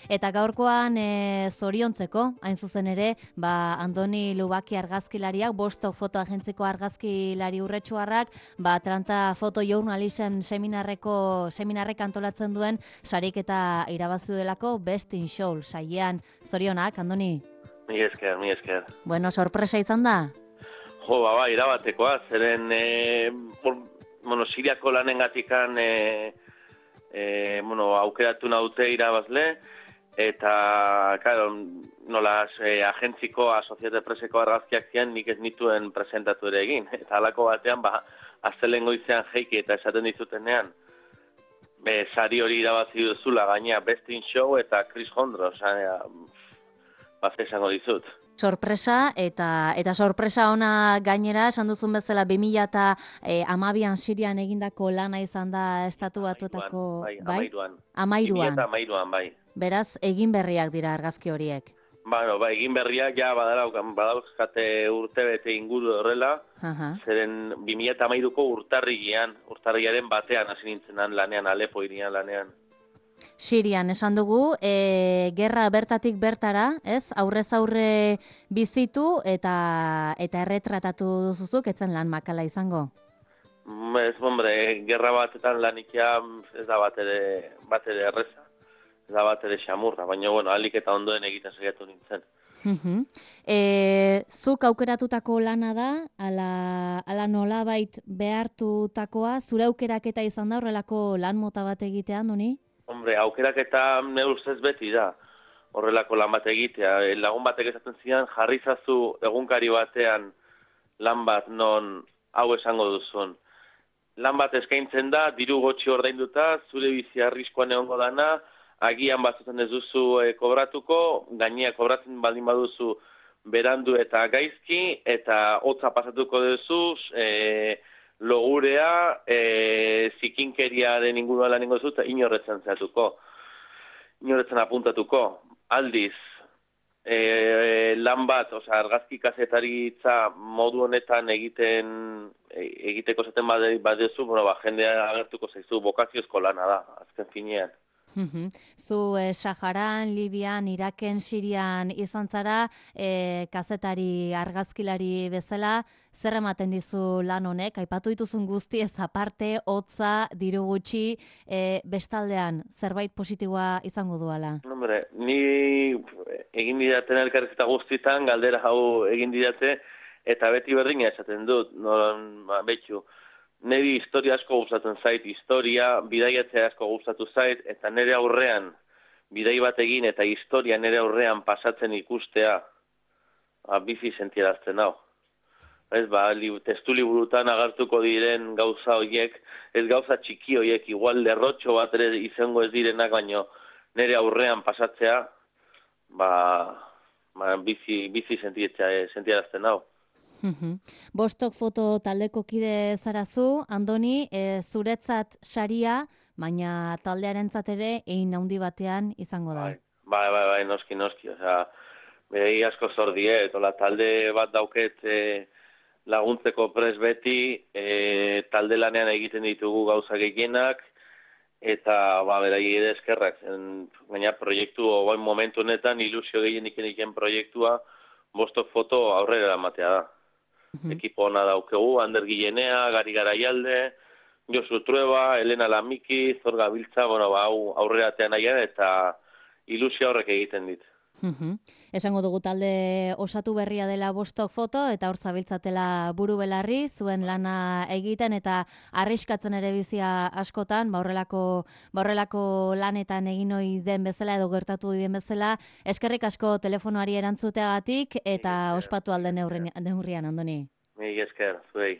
Eta gaurkoan zoriontzeko, hain zuzen ere, Andoni Lubaki argazkilariak, Bostok fotoagentziko argazkilari urretsuarrak, Atlanta Foto Journalism seminarrek antolatzen duen sariketa irabazi delako Best in Show saiean. Zorionak, Andoni? Mi esker. Bueno, sorpresa izan da? Jo, irabatekoa, zeren Siriako lanengatikan aukeratu naute irabazle, eta, claro, agentziko, Asociated Presseko argazkiak zian nik ez nituen presentatu ere egin. Eta halako batean, aztelen goizean jeiki eta esaten dizutenean, sari hori irabazi duzula, gaina Best in Show eta Chris Hondros, esango dizut. Sorpresa, eta sorpresa ona gainera, esan duzun bezala 2012an Sirian egindako lana izan da Estatu Batuetako... Amairuan, bai. Beraz, egin berriak dira argazki horiek. Egin berriak ja badauzkate urtebete inguru horrela, zeren 2013ko urtarriaren batean hasi nintzenan lanean, Alepo irian lanean. Sirian, esan dugu, gerra bertatik bertara, ez? Aurrez aurre bizitu eta erretratatu duzuzuk, etzen lan makala izango? Ez, gerra batetan lanikia ez da bat ere erreza, ez da bat ere xamurra, baina, alik eta ondoen egiten saiatu nintzen. Zuk aukeratutako lana da, ala nolabait behartutakoa, zure aukeraketa izan da horrelako lan mota bat egitean, Doni? Aukeraketa ne ustez beti da horrelako lan bat egitea. Lagun batek esaten zidan, jarri zazu egunkari batean lan bat non hau esango duzun. Lan bat eskaintzen da, diru gotxi ordainduta, zure bizi arriskoan egongo dana, agian batzutan ez duzu kobratuko, gainea kobratzen baldin baduzu berandu eta gaizki, eta hotza pasatuko duzu, logurea, zikinkeria den inguruan lan ingo zut, inorretzen apuntatuko. Aldiz, lan bat, argazki kazetaritza modu honetan egiteko zaten badezu, jendea agertuko zaizu, bokaziozko lana da, azken finean. Zu Saharan, Libian, Iraken, Sirian izan zara, kazetari argazkilari bezala, zer ematen dizu lan honek? Aipatu dituzun guztiez aparte, hotza, diru gutxi, bestaldean zerbait positiboa izango duala? Ni egin didaten elkarrizketa guztietan, galdera hau egin didate, eta beti berdina esaten dut, betxu. Neri historia asko gustatzen zait, bidaiatzea asko gustatu zait, eta nire aurrean, bidai bat egin eta historia nire aurrean pasatzen ikustea, bizi sentierazten hau. Testu liburutan agertuko diren gauza horiek, ez gauza txiki horiek, igual lerrotxo bat ere izango ez direnak, baino nire aurrean pasatzea, bizi sentierazten hau. Bostok foto taldeko kide zarazu, Andoni, zuretzat saria, baina taldearentzat ere egin handi batean izango da. Bai, noski. Berei asko zor diet, talde bat dauket laguntzeko pres beti, talde lanean egiten ditugu gauza gehienak, eta berai ere eskerrak. Baina proiektu, momentu honetan, ilusio gehienik egin proiektua, Bostok foto aurrera ematea da. Ekipo ona daukegu, Ander Gilenea, Gari Garaialde, Josu Trueba, Elena Lamiki, Zor Gabiltza, hau aurreratean nahian eta ilusio horrek egiten dit. Esango dugu talde osatu berria dela Bostok foto eta hor zabiltzatela buru belarri, zuen lana egiten eta arriskatzen ere bizia askotan, horrelako lanetan egin ohi den bezala edo gertatu den bezala. Eskerrik asko telefonoari erantzuteagatik eta ospatu alden neurrian, Andoni. Mila esker, zuei.